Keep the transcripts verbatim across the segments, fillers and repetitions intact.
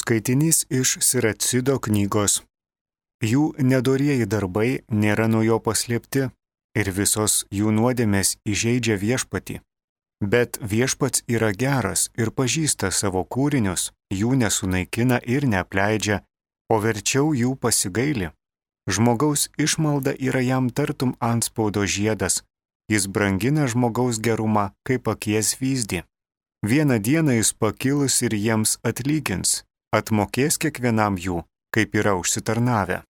Skaitinys iš Siracido knygos. Jų nedorieji darbai nėra nuo jo paslėpti ir visos jų nuodėmės įžeidžia viešpatį. Bet viešpats yra geras ir pažįsta savo kūrinius, jų nesunaikina ir neapleidžia, o verčiau jų pasigaili. Žmogaus išmalda yra jam tartum antspaudo žiedas, jis brangina žmogaus gerumą kaip akies vyzdį. Vieną dieną jis pakilus ir jiems atlygins, atmokės kiekvienam jų, kaip yra užsitarnavę.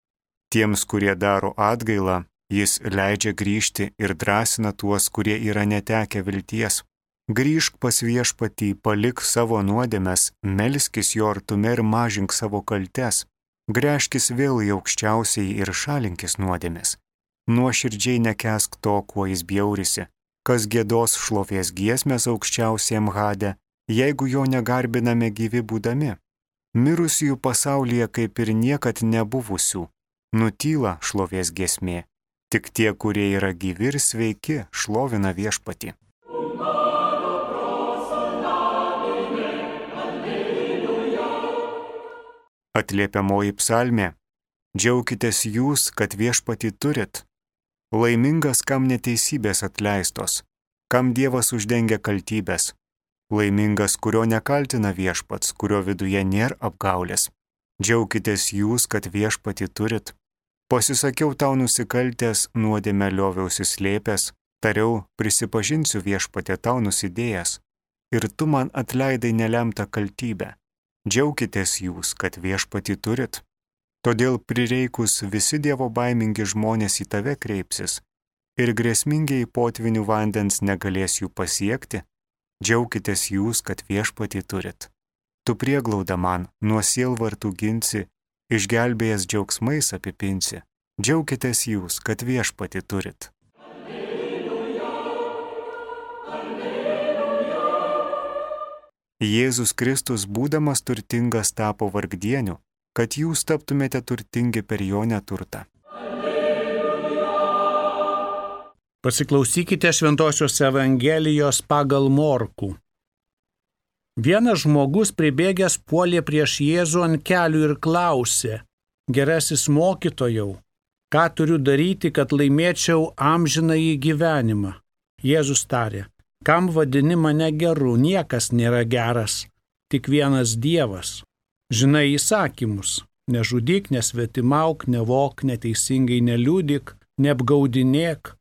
Tiems, kurie daro atgailą, jis leidžia grįžti ir drąsina tuos, kurie yra netekę vilties. Grįžk pas viešpatį, palik savo nuodėmes, melskis jo artume ir mažink savo kaltes. Gręžkis vėl į aukščiausiai ir šalinkis nuodėmes. Nuoširdžiai nekęsk to, kuo jis bjaurisi. Kas giedos šlovės giesmės aukščiausiam Hade, jeigu jo negarbiname gyvi būdami. Mirusiųjų pasaulyje kaip ir niekad nebuvusių, nutyla šlovės giesmė. Tik tie, kurie yra gyvi ir sveiki, šlovina viešpatį. Atliepiamoji psalmė. Džiaukitės jūs, kad viešpatį turit. Laimingas, kam neteisybės atleistos, kam Dievas uždengia kaltybės. Laimingas, kurio nekaltina viešpats, kurio viduje nėra apgaulės. Džiaukitės jūs, kad viešpatį turit. Pasisakiau tau nusikaltęs, nuodėmę lioviausi slėpęs, tariau, prisipažinsiu viešpatė tau nusidėjęs. Ir tu man atleidai nelemtą kaltybę. Džiaukitės jūs, kad viešpatį turit. Todėl prireikus visi Dievo baimingi žmonės į tave kreipsis ir grėsmingiai potvinių vandens negalės jų pasiekti. Džiaukitės jūs, kad viešpatį turit. Tu prieglauda man, nuo sielvartų ginsi, išgelbėjęs džiaugsmais apipinsi. Džiaukitės jūs, kad viešpatį turit. Alleluja, alleluja. Jėzus Kristus, būdamas turtingas, tapo vargdieniu, kad jūs taptumėte turtingi per jo neturtą. Alleluja. Pasiklausykite Šventosios Evangelijos pagal Morkų. Vienas žmogus pribėgęs puolė prieš Jėzų ant kelių ir klausė: Gerasis mokytojau, ką turiu daryti, kad laimėčiau amžinąjį gyvenimą? Jėzus tarė: Kam vadini mane geru, niekas nėra geras, tik vienas Dievas. Žinai įsakymus: nežudyk, nesvetimauk, nevok, neteisingai neliudyk, neapgaudinėk,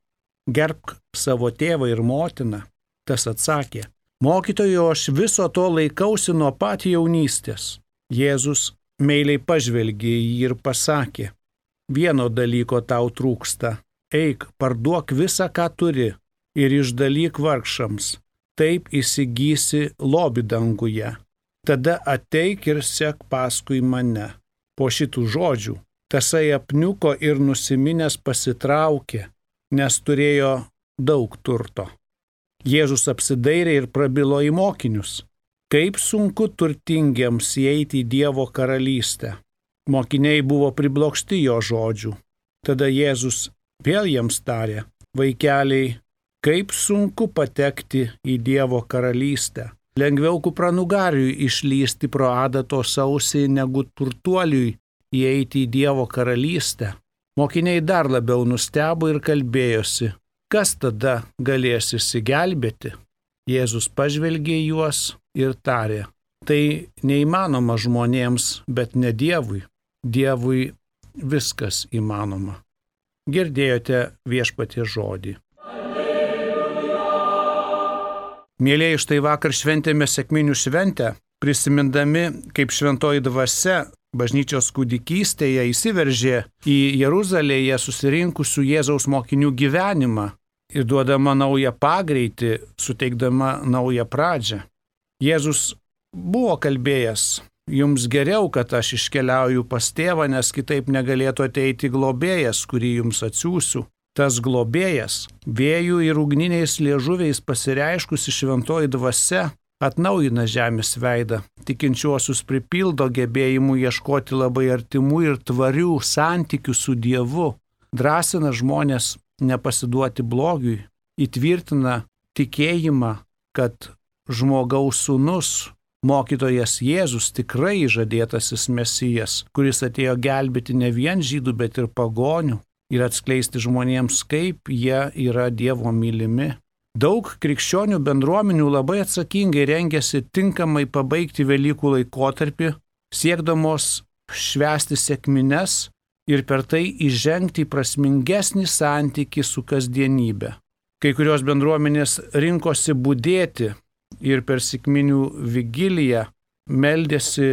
gerbk savo tėvą ir motiną. Tas atsakė: Mokytojau, aš viso to laikausi nuo pat jaunystės. Jėzus meiliai pažvelgė į jį ir pasakė: Vieno dalyko tau trūksta. Eik, parduok visą, ką turi, ir išdalyk vargšams. Taip įsigysi lobį danguje. Tada ateik ir sek paskui mane. Po šitų žodžių tasai apniuko ir nusiminęs pasitraukė, nes turėjo daug turto. Jėzus apsidairė ir prabilo į mokinius: Kaip sunku turtingiems įeiti į Dievo karalystę. Mokiniai buvo priblokšti jo žodžių. Tada Jėzus vėl jiems tarė: Vaikeliai, kaip sunku patekti į Dievo karalystę. Lengviau kupranugariui išlysti pro adatos ausį, negu turtuoliui įeiti į Dievo karalystę. Mokiniai dar labiau nustebo ir kalbėjosi: Kas tada galės išsigelbėti? Jėzus pažvelgė į juos ir tarė: Tai neįmanoma žmonėms, bet ne Dievui. Dievui viskas įmanoma. Girdėjote viešpaties žodį. Mėlėjai, štai vakar šventėme sekminių šventę, prisimindami, kaip šventoji dvasia bažnyčios kūdikystėje įsiveržė į Jeruzalėje susirinkusių Jėzaus mokinių gyvenimą ir duodama naują pagreitį, suteikdama naują pradžią. Jėzus buvo kalbėjęs: Jums geriau, kad aš iškeliauju pas tėvą, nes kitaip negalėtų ateiti globėjas, kurį jums atsiųsiu. Tas globėjas, vėjų ir ugniniais liežuviais pasireiškusi šventoji dvasia, atnaujina žemės veidą, tikinčiuosius pripildo gebėjimų ieškoti labai artimų ir tvarių santykių su Dievu, drąsina žmonės nepasiduoti blogiui, įtvirtina tikėjimą, kad žmogaus sūnus mokytojas Jėzus tikrai žadėtasis Mesijas, kuris atėjo gelbėti ne vien žydų, bet ir pagonių ir atskleisti žmonėms, kaip jie yra Dievo mylimi. Daug krikščionių bendruomenių labai atsakingai rengiasi tinkamai pabaigti Velykų laikotarpį, siekdamos švęsti sekmines ir per tai įžengti į prasmingesnį santykį su kasdienybė. Kai kurios bendruomenės rinkosi budėti ir per sekminių vigiliją meldėsi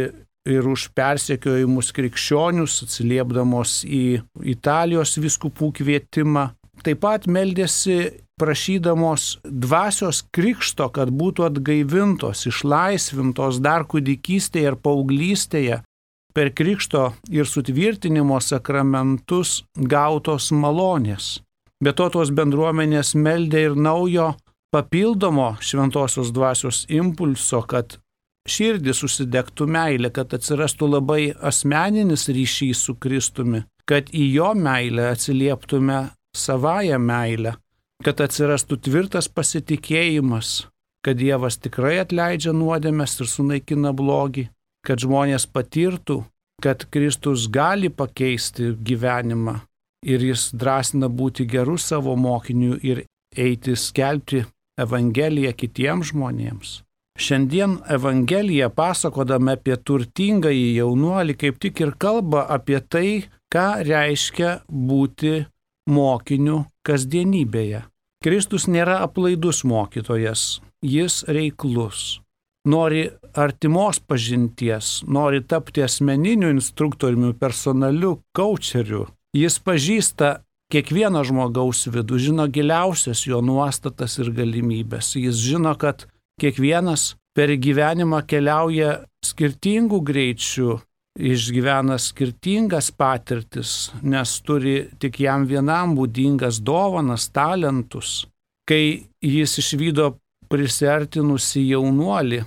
ir už persekiojimus krikščionius, atsiliepdamos į Italijos vyskupų kvietimą. Taip pat meldėsi prašydamos dvasios krikšto, kad būtų atgaivintos, išlaisvintos dar kūdikystėje ir paauglystėje per krikšto ir sutvirtinimo sakramentus gautos malonės. Be to tos bendruomenės meldė ir naujo papildomo šventosios dvasios impulso, kad širdis užsidegtų meilė, kad atsirastų labai asmeninis ryšys su Kristumi, kad į jo meilę atsilieptume savąją meilę, kad atsirastų tvirtas pasitikėjimas, kad Dievas tikrai atleidžia nuodėmes ir sunaikina blogį, kad žmonės patirtų, kad Kristus gali pakeisti gyvenimą ir jis drąsina būti gerų savo mokinių ir eiti skelbti Evangeliją kitiems žmonėms. Šiandien Evangelija, pasakodama apie turtingąjį jaunuolį, kaip tik ir kalba apie tai, ką reiškia būti mokiniu kasdienybėje. Kristus nėra aplaidus mokytojas, jis reiklus. Nori artimos pažinties, nori tapti asmeniniu instruktoriumi, personaliu coacheriu. Jis pažįsta kiekvieno žmogaus vidų, žino giliausias jo nuostatas ir galimybės. Jis žino, kad kiekvienas per gyvenimą keliauja skirtingų greičių, išgyvena skirtingas patirtis, nes turi tik jam vienam būdingas dovanas, talentus. Kai jis išvydo prisiartinusi jaunuolį,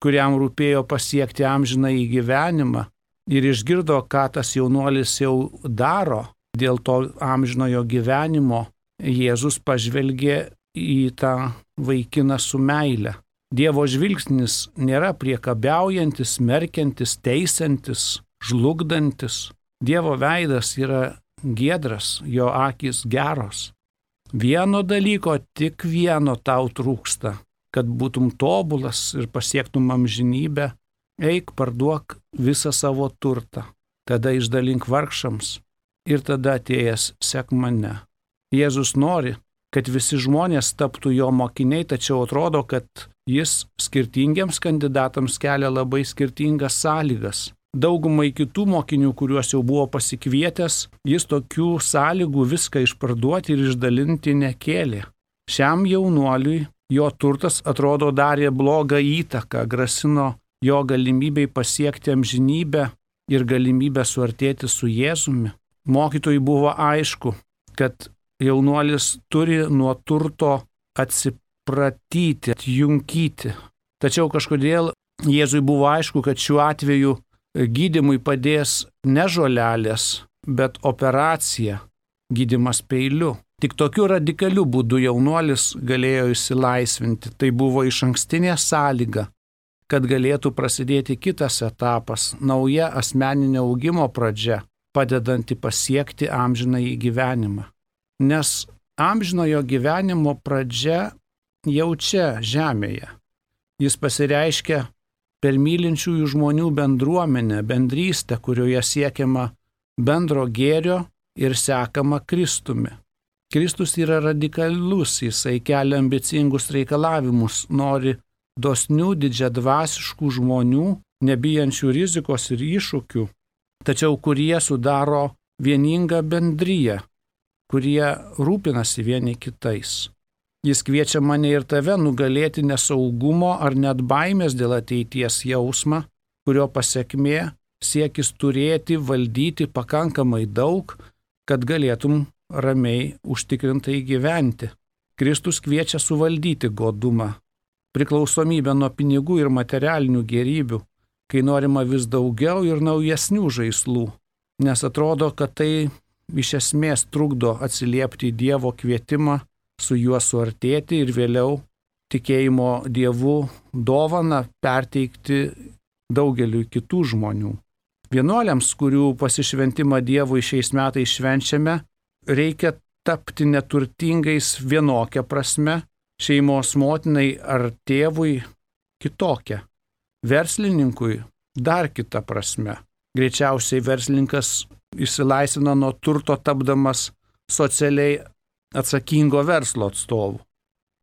kuriam rūpėjo pasiekti amžinąjį gyvenimą ir išgirdo, ką tas jaunuolis jau daro dėl to amžinojo gyvenimo, Jėzus pažvelgė į tą vaikiną su meile. Dievo žvilgsnis nėra priekabiaujantis, smerkiantis, teisiantis, žlugdantis. Dievo veidas yra giedras, jo akys geros. Vieno dalyko, tik vieno tau trūksta, kad būtum tobulas ir pasiektum amžinybę. Eik, parduok visą savo turtą, tada išdalink vargšams ir tada atėjęs sek mane. Jėzus nori, kad visi žmonės taptų jo mokiniai, tačiau atrodo, kad jis skirtingiems kandidatams kelia labai skirtingas sąlygas. Daugumai kitų mokinių, kuriuos jau buvo pasikvietęs, jis tokių sąlygų viską išparduoti ir išdalinti nekėlė. Šiam jaunuoliui jo turtas atrodo darė blogą įtaką, grasino jo galimybei pasiekti amžinybę ir galimybę suartėti su Jėzumi. Mokytojui buvo aišku, kad jaunuolis turi nuo turto atsipratyti, atjunkyti. Tačiau kažkodėl Jėzui buvo aišku, kad šiuo atveju gydymui padės ne žolelės, bet operacija, gydymas peiliu. Tik tokiu radikaliu būdu jaunuolis galėjo išsilaisvinti. Tai buvo išankstinė sąlyga, kad galėtų prasidėti kitas etapas, nauja asmeninio augimo pradžia, padedanti pasiekti amžinąjį gyvenimą. Nes amžinojo gyvenimo pradžia jau čia, žemėje. Jis pasireiškia per mylinčiųjų žmonių bendruomenę, bendrystę, kurioje siekiama bendro gėrio ir sekama Kristumi. Kristus yra radikalus, jisai kelia ambicingus reikalavimus, nori dosnių, didžiadvasiškų žmonių, nebijančių rizikos ir iššūkių, tačiau kurie sudaro vieningą bendriją, kurie rūpinasi vieni kitais. Jis kviečia mane ir tave nugalėti nesaugumo ar net baimės dėl ateities jausmą, kurio pasekmė siekis turėti, valdyti pakankamai daug, kad galėtum ramiai užtikrintai gyventi. Kristus kviečia suvaldyti godumą, priklausomybę nuo pinigų ir materialinių gėrybių, kai norima vis daugiau ir naujesnių žaislų, nes atrodo, kad tai iš esmės trukdo atsiliepti į Dievo kvietimą, su juo suartėti ir vėliau tikėjimo Dievu dovaną perteikti daugeliu kitų žmonių. Vienuoliams, kurių pasišventimą Dievui šiais metais švenčiame, reikia tapti neturtingais vienokia prasme, šeimos motinai ar tėvui kitokia, verslininkui dar kita prasme. Greičiausiai verslininkas išsilaisvina nuo turto tapdamas socialiai atsakingo verslo atstovu.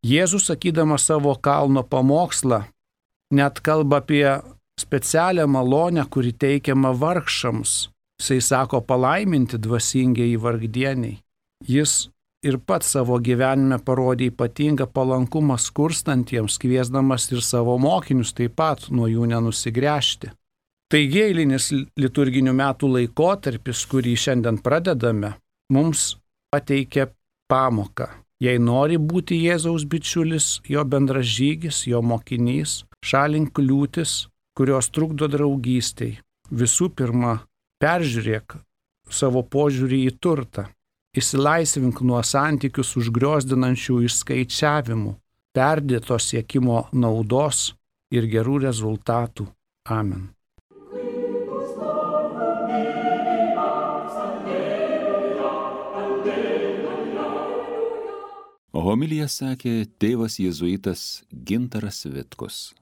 Jėzus, sakydamas savo kalno pamokslą, net kalba apie specialią malonę, kuri teikiama vargšams. Jisai sako palaiminti dvasingieji vargdieniai. Jis ir pats savo gyvenime parodė ypatingą palankumą skurstantiems, kviesdamas ir savo mokinius taip pat nuo jų nenusigręžti. Taigi eilinis liturginių metų laikotarpis, kurį šiandien pradedame, mums pateikia pamoką. Jei nori būti Jėzaus bičiulis, jo bendražygis, jo mokinys, šalink kliūtis, kurios trukdo draugystei. Visų pirma, peržiūrėk savo požiūrį į turtą. Išsilaisvink nuo santykius užgriozdinančių išskaičiavimų, perdėto siekimo naudos ir gerų rezultatų. Amen. Homiliją sakė tėvas jėzuitas Gintaras Vitkus.